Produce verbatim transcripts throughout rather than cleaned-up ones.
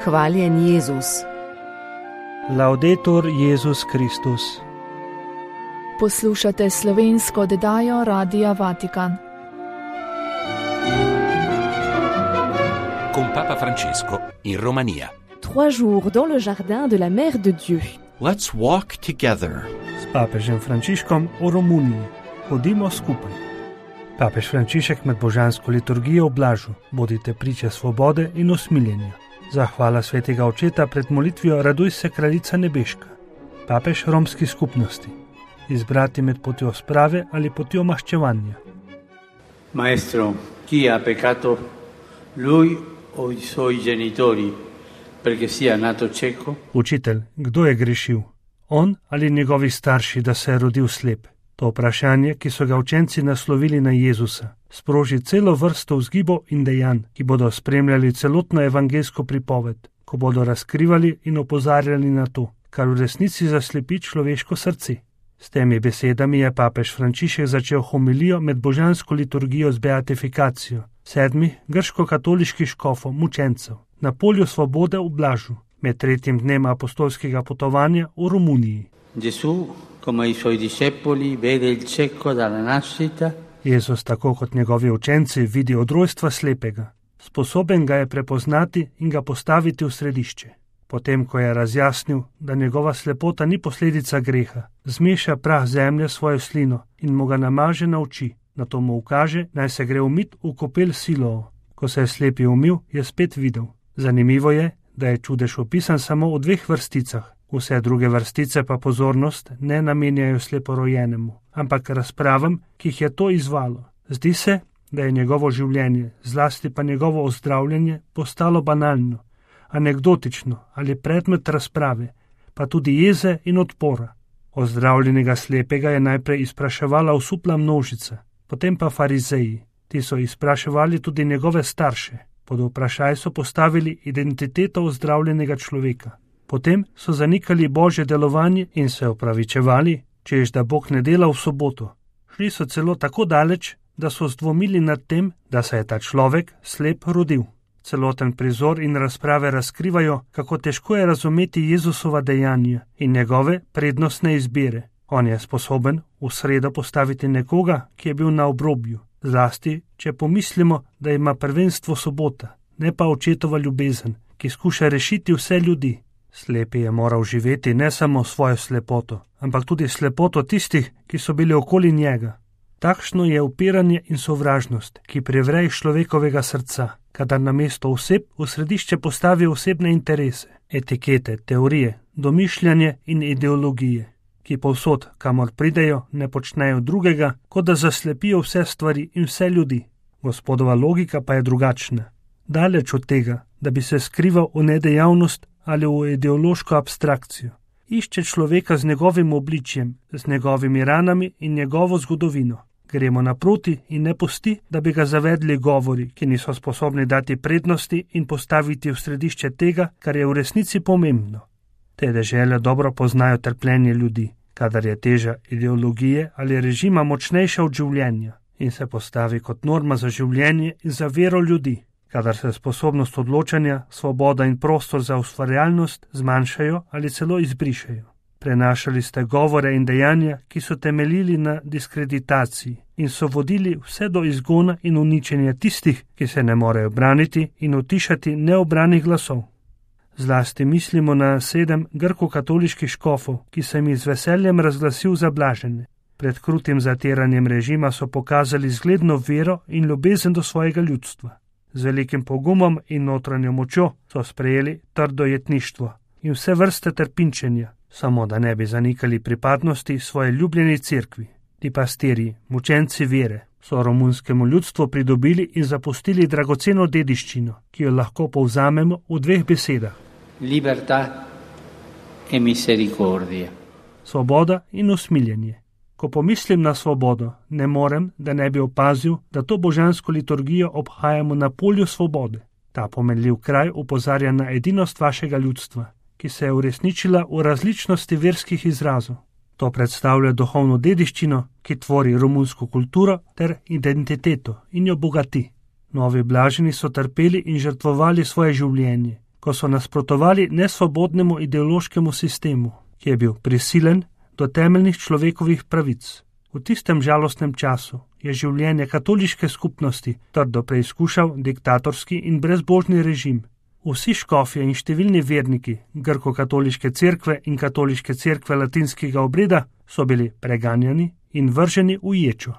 Hvaljen Jezus. Laudetur Jezus Kristus. Poslušate slovensko oddajo Radia Vatikan. Con Papa Francesco in Romania. Trois jours dans le jardin de la Mère de Dieu. Let's walk together. S papežem Frančiškom v Romuniji. Hodimo skupaj. Papež Frančišek med božansko liturgijo oblažu. Bodite priče svobode in usmiljenja. Zahvala svetega očeta pred molitvijo Raduj se kraljica nebeška. Papež romski skupnosti. Izbrati med potjo sprave ali potjo maščevanja. Maestro, chi ha peccato, lui o i suoi genitori, perché sia nato cieco? Učitelj, kdo je grešil? On ali njegovi starši, da se je rodil slep? To vprašanje, ki so ga učenci naslovili na Jezusa, sproži celo vrsto vzgibov in dejanj, ki bodo spremljali celotno evangeljsko pripoved, ko bodo razkrivali in opozarjali na to, kar v resnici zaslepi človeško srce. S temi besedami je papež Frančišek začel homilijo med božansko liturgijo z beatifikacijo sedmih grško-katoliških škofov, mučencev, na polju svobode v Blažu, med tretjim dnem apostolskega potovanja v Romuniji. Gesù, come i suoi discepoli, vede il cieco dalla nascita. Jezus, tako kot njegovi učenci, vidi od rojstva slepega. Sposoben ga je prepoznati in ga postaviti v središče. Potem, ko je razjasnil, da njegova slepota ni posledica greha, zmeša prah zemlje svojo slino in mu ga namaže na oči. Nato mu ukaže, naj se gre umit v kopel Siloa. Ko se je slepi umil, je spet videl. Zanimivo je, da je čudež opisan samo v dveh vrsticah. Vse druge vrstice pa pozornost ne namenjajo sleporojenemu, ampak razpravam, ki jih je to izvalo. Zdi se, da je njegovo življenje, zlasti pa njegovo ozdravljanje, postalo banalno, anekdotično ali predmet razprave, pa tudi jeze in odpora. Ozdravljenega slepega je najprej izpraševala osupla množica, potem pa farizeji. Ti so izpraševali tudi njegove starše. Pod vprašaj so postavili identiteto ozdravljenega človeka. Potem so zanikali Božje delovanje in se opravičevali, češ da Bog ne dela v soboto. Šli so celo tako daleč, da so zdvomili nad tem, da se je ta človek slep rodil. Celoten prizor in razprave razkrivajo, kako težko je razumeti Jezusova dejanja in njegove prednostne izbire. On je sposoben v sredo postaviti nekoga, ki je bil na obrobju, zlasti, če pomislimo, da ima prvenstvo sobota, ne pa očetova ljubezen, ki skuša rešiti vse ljudi. Slepi je moral živeti ne samo svojo slepoto, ampak tudi slepoto tistih, ki so bili okoli njega. Takšno je upiranje in sovražnost, ki prevre iz človekovega srca, kadar namesto oseb v središče postavi osebne interese, etikete, teorije, domišljanje in ideologije, ki povsod, kamor pridejo, ne počnejo drugega, kot da zaslepijo vse stvari in vse ljudi. Gospodova logika pa je drugačna. Daleč od tega, da bi se skrival v nedejavnost ali v ideološko abstrakcijo. Išče človeka z njegovim obličjem, z njegovimi ranami in njegovo zgodovino. Gremo naproti in ne pusti, da bi ga zavedli govori, ki niso sposobni dati prednosti in postaviti v središče tega, kar je v resnici pomembno. Te dežele dobro poznajo trpljenje ljudi, kadar je teža ideologije ali režima močnejša od življenja in se postavi kot norma za življenje in za vero ljudi. Kadar se sposobnost odločanja, svoboda in prostor za ustvarjalnost zmanjšajo ali celo izbrišajo. Prenašali ste govore in dejanja, ki so temeljili na diskreditaciji in so vodili vse do izgona in uničenja tistih, ki se ne morejo braniti in utišati neobranih glasov. Zlasti mislimo na sedem grko-katoliških škofov, ki sem jih z veseljem razglasil za blažene. Pred krutim zatiranjem režima so pokazali zgledno vero in ljubezen do svojega ljudstva. Z velikim pogumom in notranjo močjo so sprejeli trdo jetništvo in vse vrste trpinčenja, samo da ne bi zanikali pripadnosti svoje ljubljeni cerkvi. Ti pastirji, mučenci vere, so romunskemu ljudstvu pridobili in zapustili dragoceno dediščino, ki jo lahko povzamemo v dveh besedah. Libertà e misericordia. Svoboda in usmiljenje. Ko pomislim na svobodo, ne morem, da ne bi opazil, da to božansko liturgijo obhajamo na polju svobode. Ta pomenljiv kraj opozarja na edinost vašega ljudstva, ki se je uresničila v različnosti verskih izrazov. To predstavlja duhovno dediščino, ki tvori romunsko kulturo ter identiteto in jo bogati. Novi blaženi so trpeli in žrtvovali svoje življenje, ko so nasprotovali nesvobodnemu ideološkemu sistemu, ki je bil prisilen do temeljnih človekovih pravic. V tistem žalostnem času je življenje katoliške skupnosti trdo preizkušal diktatorski in brezbožni režim. Vsi škofje in številni verniki grko-katoliške cerkve in katoliške cerkve latinskega obreda so bili preganjani in vrženi v ječo.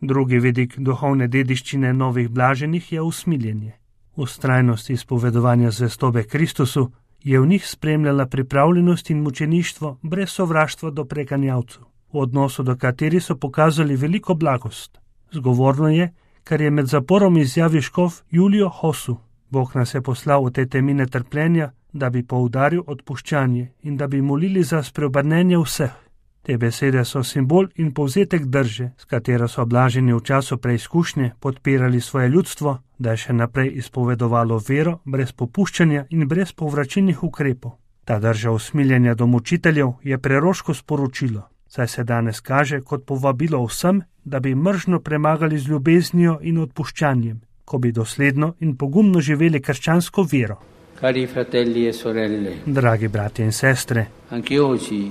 Drugi vidik duhovne dediščine novih blaženih je usmiljenje. Vztrajnost izpovedovanja zvestobe Kristusu je v njih spremljala pripravljenost in mučeništvo brez sovraštva do preganjavcev, v odnosu do katerih so pokazali veliko blagost. Zgovorno je, kar je med zaporom izjavil škof Julio Hosu. Bog nas je poslal v te temine trpljenja, da bi poudaril odpuščanje in da bi molili za spreobrnenje vseh. Te besede so simbol in povzetek drže, s katero so blaženi v času preizkušnje podpirali svoje ljudstvo, da je še naprej izpovedovalo vero brez popuščanja in brez povračilnih ukrepov. Ta drža usmiljenja do mučiteljev je preroško sporočilo, saj se danes kaže kot povabilo vsem, da bi mržno premagali z ljubeznijo in odpuščanjem, ko bi dosledno in pogumno živeli krščansko vero. Cari fratelli e sorelle, Dragi bratje in sestre, anche oggi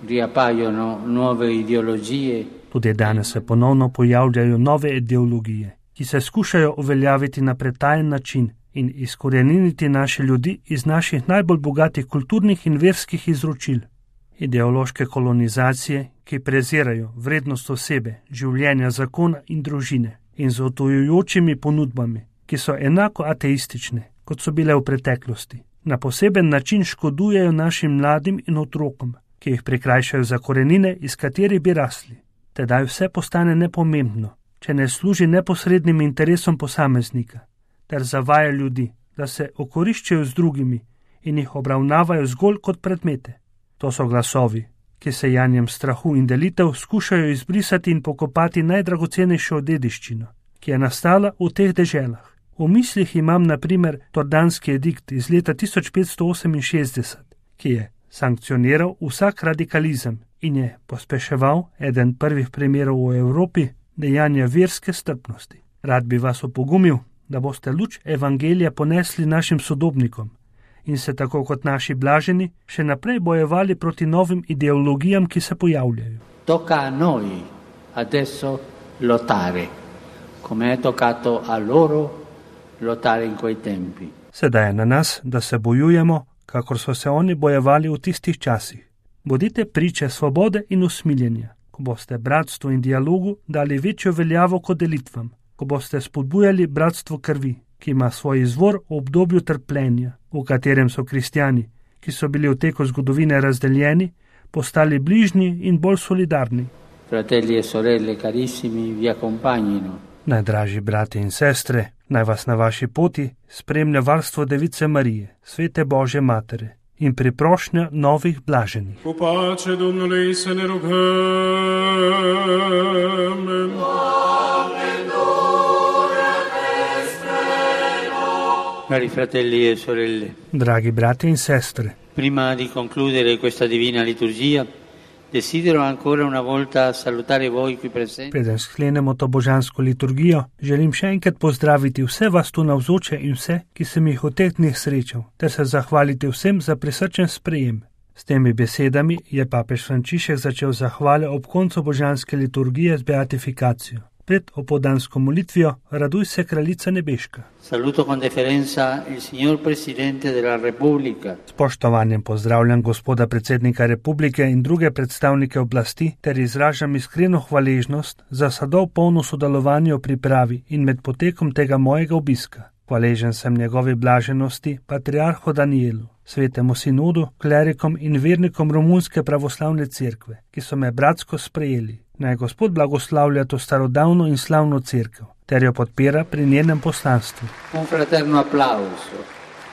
riappaiono nuove ideologie tudi danes se ponovno pojavljajo nove ideologije, ki se skušajo uveljaviti na pretajen način in izkoreniniti naše ljudi iz naših najbolj bogatih kulturnih in verskih izročil. Ideološke kolonizacije, ki prezirajo vrednost osebe, življenja, zakona in družine in z otujujočimi ponudbami, ki so enako ateistične, kot so bile v preteklosti, na poseben način škodujejo našim mladim in otrokom, ki jih prikrajšajo za korenine, iz katerih bi rasli. Tedaj vse postane nepomembno, če ne služi neposrednim interesom posameznika, ter zavaja ljudi, da se okoriščajo z drugimi in jih obravnavajo zgolj kot predmete. To so glasovi, ki se janjem strahu in delitev skušajo izbrisati in pokopati najdragocenejšo dediščino, ki je nastala v teh deželah. V mislih imam na primer Tordanski edikt iz leta tisoč petsto oseminšestdeset, ki je sankcioniral vsak radikalizem in je pospeševal eden prvih primerov v Evropi dejanja verske strpnosti. Rad bi vas opogumil, da boste luč evangelija ponesli našim sodobnikom in se tako kot naši blaženi še naprej bojevali proti novim ideologijam, ki se pojavljajo. Tocca a noi adesso lottare, come è toccato a loro lottare in quei tempi. Sedaj je na nas, da se bojujemo, kakor so se oni bojevali v tistih časih. Bodite priče svobode in usmiljenja, ko boste bratstvu in dialogu dali večjo veljavo kot delitvam, ko boste spodbujali bratstvo krvi, ki ima svoj izvor v obdobju trpljenja, v katerem so kristjani, ki so bili v teku zgodovine razdeljeni, postali bližnji in bolj solidarni. Fratelli e sorelle carissimi, vi accompagnino. Najdražji brati in sestre, naj vas na vaši poti spremlja varstvo Device Marije, svete Božje Matere in priprošnja novih blaženih. Cu pace Domnului să ne rugăm. Cari fratelli e sorelle, Dragi brati in sestre, prima di concludere questa divina liturgia, desidero ancora una volta salutare voi qui presenti. preden sklenemo to božansko liturgijo, želim še enkrat pozdraviti vse vas tu navzoče in vse, ki sem jih v teh dneh srečal, ter se zahvaliti vsem za prisrčen sprejem. S temi besedami je papež Frančišek začel zahvale ob koncu božanske liturgije z beatifikacijo. Pred opoldansko molitvijo Raduj se, kraljica nebeška. Saluto con deferenza il signor Presidente della Repubblica. Spoštovanjem pozdravljam gospoda predsednika republike in druge predstavnike oblasti ter izražam iskreno hvaležnost za sadov polno sodelovanje v pripravi in med potekom tega mojega obiska. Hvaležen sem njegovi blaženosti, patriarhu Danielu, svetemu sinodu, klerikom in vernikom Romunske pravoslavne cerkve, ki so me bratsko sprejeli. Naj Gospod blagoslavlja to starodavno in slavno cerkev, ter jo podpira pri njenem poslanstvu. Un fraterno applauso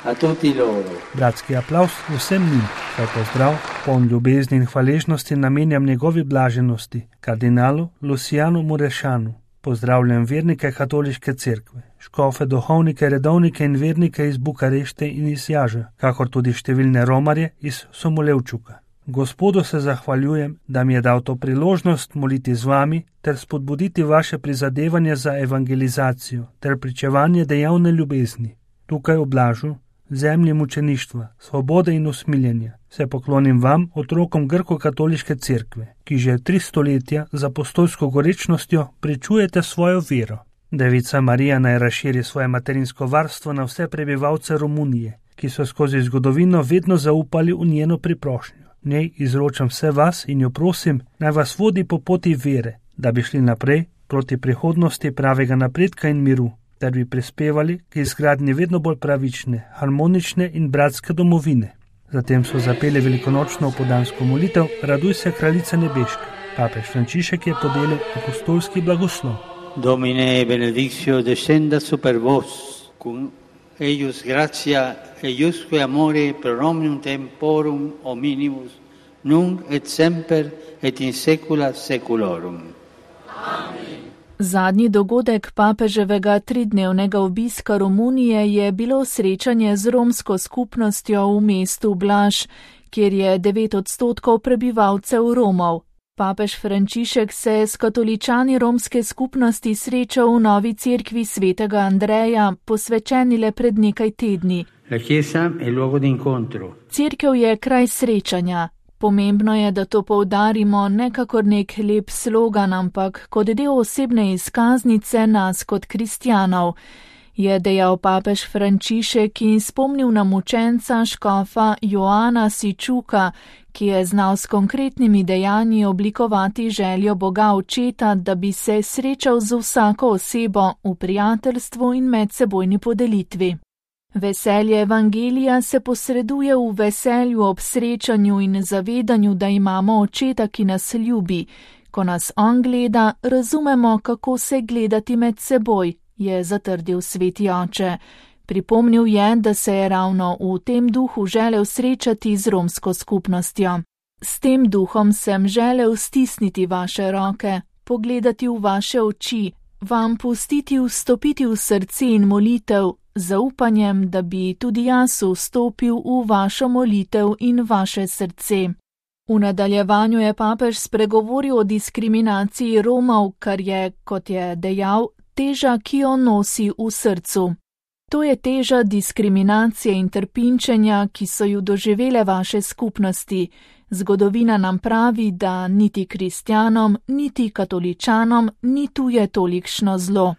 a tutti loro. Bratski aplavz vsem njim, kaj pozdrav, poln ljubezni in hvaležnosti namenjam njegovi blaženosti, kardinalu Lucianu Murešanu. Pozdravljam vernike katoliške cerkve, škofe, duhovnike, redovnike in vernike iz Bukarešte in iz Jaža, kakor tudi številne romarje iz Somolevčuka. Gospodu se zahvaljujem, da mi je dal to priložnost moliti z vami ter spodbuditi vaše prizadevanje za evangelizacijo ter pričevanje dejavne ljubezni. Tukaj v Blažu, zemlji mučeništva, svobode in usmiljenja, se poklonim vam, otrokom grko-katoliške cerkve, ki že tri stoletja z apostolsko gorečnostjo pričujete svojo vero. Devica Marija naj razširi svoje materinsko varstvo na vse prebivalce Romunije, ki so skozi zgodovino vedno zaupali v njeno priprošnjo. Njej izročam vse vas in jo prosim, naj vas vodi po poti vere, da bi šli naprej proti prihodnosti pravega napredka in miru, ter bi prispevali k izgradnji vedno bolj pravične, harmonične in bratske domovine. Zatem so zapeli velikonočno opodansko molitev Raduj se, kraljica nebeška. Papež Frančišek je podelil apostolski blagoslov. Domine benedictio descenda super vos, cum eius gratia eiusque amore pro omnium temporum hominimus, nunc et semper et in saecula saeculorum. Zadnji dogodek papeževega tridnevnega obiska Romunije je bilo srečanje z romsko skupnostjo v mestu Blaž, kjer je devet odstotkov prebivalcev Romov. Papež Frančišek se je s katoličani romske skupnosti srečal v novi cerkvi svetega Andreja, posvečeni le pred nekaj tedni. Cerkev je kraj srečanja. Pomembno je, da to poudarimo ne kakor nek lep slogan, ampak kot del osebne izkaznice nas kot kristjanov, je dejal papež Frančišek in spomnil na mučenca škofa Joana Sičuka, ki je znal s konkretnimi dejanji oblikovati željo Boga Očeta, da bi se srečal z vsako osebo v prijateljstvu in medsebojni podelitvi. Veselje evangelija se posreduje v veselju ob srečanju in zavedanju, da imamo Očeta, ki nas ljubi. Ko nas on gleda, razumemo, kako se gledati med seboj, je zatrdil sveti oče. Pripomnil je, da se je ravno v tem duhu želel srečati z romsko skupnostjo. S tem duhom sem želel stisniti vaše roke, pogledati v vaše oči, vam pustiti vstopiti v srce in molitev, zaupanjem, da bi tudi jaz vstopil v vašo molitev in vaše srce. V nadaljevanju je papež spregovoril o diskriminaciji Romov, kar je, kot je dejal, teža, ki jo nosi v srcu. To je teža diskriminacije in trpinčenja, ki so ju doživele vaše skupnosti. Zgodovina nam pravi, da niti kristjanom, niti katoličanom ni tuje tolikšno zlo.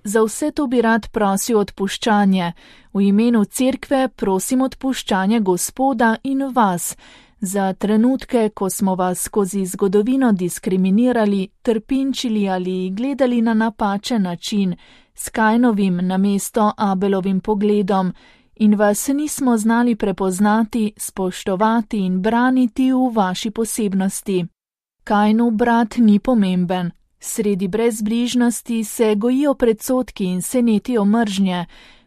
Za vse to bi rad prosil odpuščanje. V imenu cerkve prosim odpuščanje Gospoda in vas. Za trenutke, ko smo vas skozi zgodovino diskriminirali, trpinčili ali gledali na napačen način, s Kajnovim namesto Abelovim pogledom, in vas nismo znali prepoznati, spoštovati in braniti v vaši posebnosti. Kajnu brat ni pomemben. Sredi brezbrižnosti se gojijo predsodki in se netijo mržnje.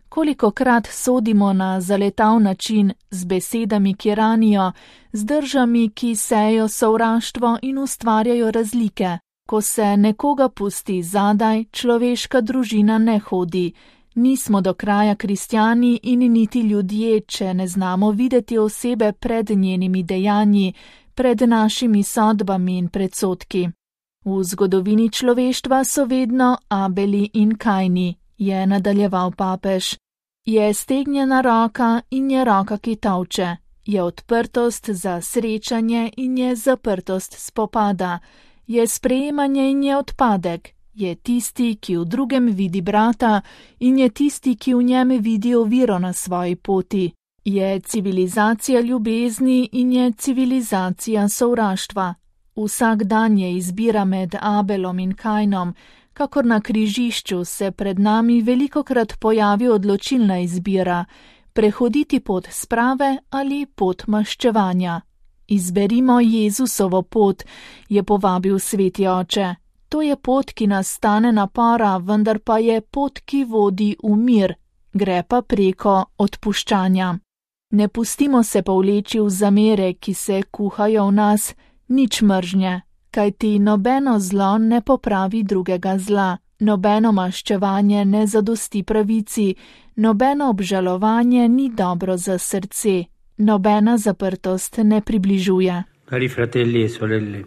Kolikokrat sodimo na zaletav način, z besedami, ki ranijo, z držami, ki sejo sovraštvo in ustvarjajo razlike. Ko se nekoga pusti zadaj, človeška družina ne hodi. Nismo do kraja kristjani in niti ljudje, če ne znamo videti osebe pred njenimi dejanji, pred našimi sodbami in predsodki. V zgodovini človeštva so vedno Abeli in Kajni, je nadaljeval papež. Je stegnjena roka in je roka, ki tolče. Je odprtost za srečanje in je zaprtost spopada. Je sprejemanje in je odpadek. Je tisti, ki v drugem vidi brata in je tisti, ki v njem vidi oviro na svoji poti. Je civilizacija ljubezni in je civilizacija sovraštva. Vsak dan je izbira med Abelom in Kajnom, kakor na križišču se pred nami velikokrat pojavi odločilna izbira, prehoditi pot sprave ali pot maščevanja. Izberimo Jezusovo pot, je povabil sveti oče. To je pot, ki nas stane napora, vendar pa je pot, ki vodi v mir, gre pa preko odpuščanja. Ne pustimo se povleči v zamere, ki se kuhajo v nas, nič mržnje, kajti nobeno zlo ne popravi drugega zla, nobeno maščevanje ne zadosti pravici, nobeno obžalovanje ni dobro za srce, nobena zaprtost ne približuje. Cari fratelli e sorelle,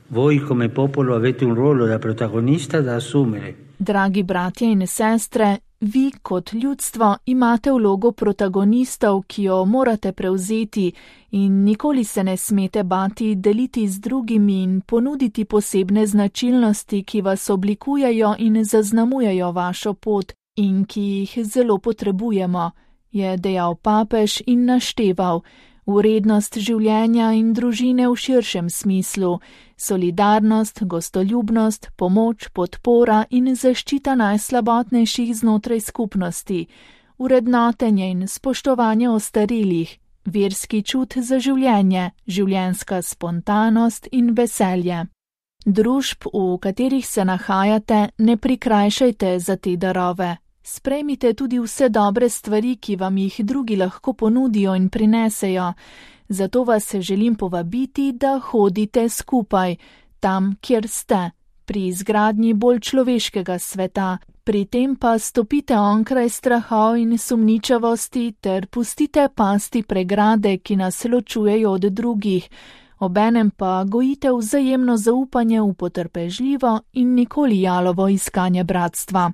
voi come popolo avete un ruolo da protagonista da assumere. Dragi bratje in sestre, Vi kot ljudstvo imate vlogo protagonistov, ki jo morate prevzeti in nikoli se ne smete bati deliti z drugimi in ponuditi posebne značilnosti, ki vas oblikujejo in zaznamujejo vašo pot in ki jih zelo potrebujemo, je dejal papež in našteval vrednost življenja in družine v širšem smislu, solidarnost, gostoljubnost, pomoč, podpora in zaščita najslabotnejših znotraj skupnosti, vrednotenje in spoštovanje ostarelih, verski čut za življenje, življenjska spontanost in veselje. Družb, v katerih se nahajate, ne prikrajšajte za te darove. Sprejmite tudi vse dobre stvari, ki vam jih drugi lahko ponudijo in prinesejo. Zato vas želim povabiti, da hodite skupaj, tam, kjer ste, pri izgradnji bolj človeškega sveta, pri tem pa stopite onkraj strahov in sumničavosti ter pustite pasti pregrade, ki nas ločujejo od drugih, obenem pa gojite vzajemno zaupanje v potrpežljivo in nikoli jalovo iskanje bratstva.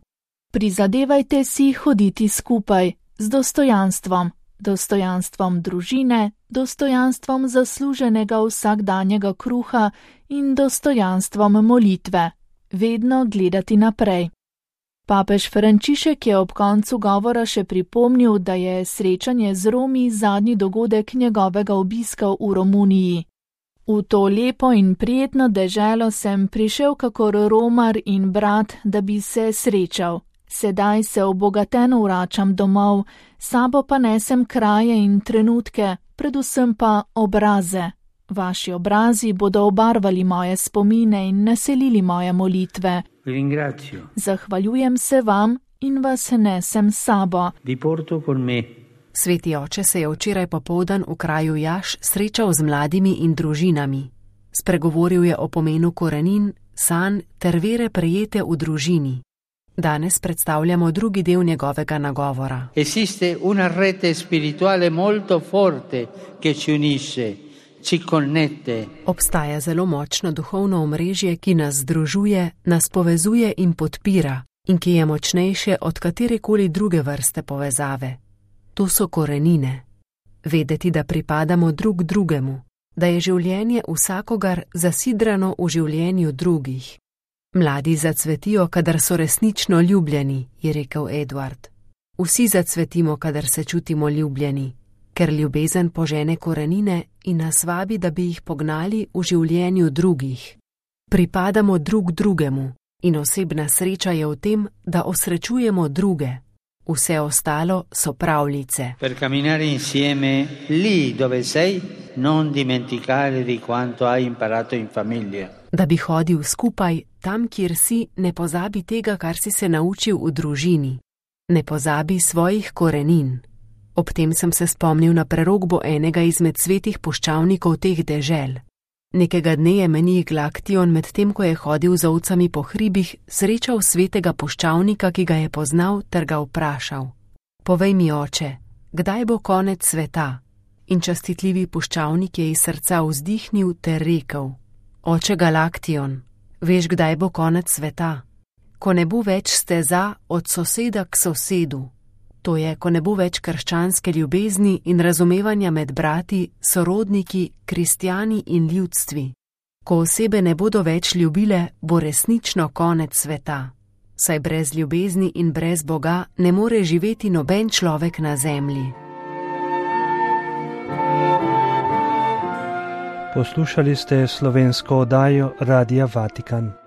Prizadevajte si hoditi skupaj, z dostojanstvom, dostojanstvom družine, dostojanstvom zasluženega vsakdanjega kruha in dostojanstvom molitve, vedno gledati naprej. Papež Frančišek je ob koncu govora še pripomnil, da je srečanje z Romi zadnji dogodek njegovega obiska v Romuniji. V to lepo in prijetno deželo sem prišel kakor Romar in brat, da bi se srečal. Sedaj se obogaten vračam domov, sabo pa nesem kraje in trenutke, predvsem pa obraze. Vaši obrazi bodo obarvali moje spomine in naselili moje molitve. Zahvaljujem se vam in vas nesem sabo. Sveti oče se je včeraj popoldan v kraju Jaš srečal z mladimi in družinami. Spregovoril je o pomenu korenin, sanj ter vere prejete v družini. Danes predstavljamo drugi del njegovega nagovora. Esiste una rete spirituale molto forte che ci unisce, ci connette. Obstaja zelo močno duhovno omrežje, ki nas združuje, nas povezuje in podpira in ki je močnejše od katerekoli druge vrste povezave. To so korenine. Vedeti, da pripadamo drug drugemu, da je življenje vsakogar zasidrano v življenju drugih. Mladi zacvetijo, kadar so resnično ljubljeni, je rekel Edward. Vsi zacvetimo, kadar se čutimo ljubljeni, ker ljubezen požene korenine in nas vabi, da bi jih pognali v življenju drugih. Pripadamo drug drugemu in osebna sreča je v tem, da osrečujemo druge. Vse ostalo so pravljice. Per camminare insieme lì dove sei, non dimenticare di quanto hai imparato in famiglia. Da bi hodil skupaj, tam, kjer si, ne pozabi tega, kar si se naučil v družini. Ne pozabi svojih korenin. Ob tem sem se spomnil na prerokbo enega izmed svetih puščavnikov teh dežel. Nekega dne je menih Glaktion, med tem, ko je hodil z ovcami po hribih, srečal svetega puščavnika, ki ga je poznal, ter ga vprašal: Povej mi, oče, kdaj bo konec sveta? In častitljivi puščavnik je iz srca vzdihnil ter rekel: Oče Galaktion, veš, kdaj bo konec sveta? Ko ne bo več steza od soseda k sosedu. To je, ko ne bo več krščanske ljubezni in razumevanja med brati, sorodniki, kristjani in ljudstvi. Ko osebe ne bodo več ljubile, bo resnično konec sveta. Saj brez ljubezni in brez Boga ne more živeti noben človek na zemlji. Poslušali ste slovensko oddajo Radia Vatikan.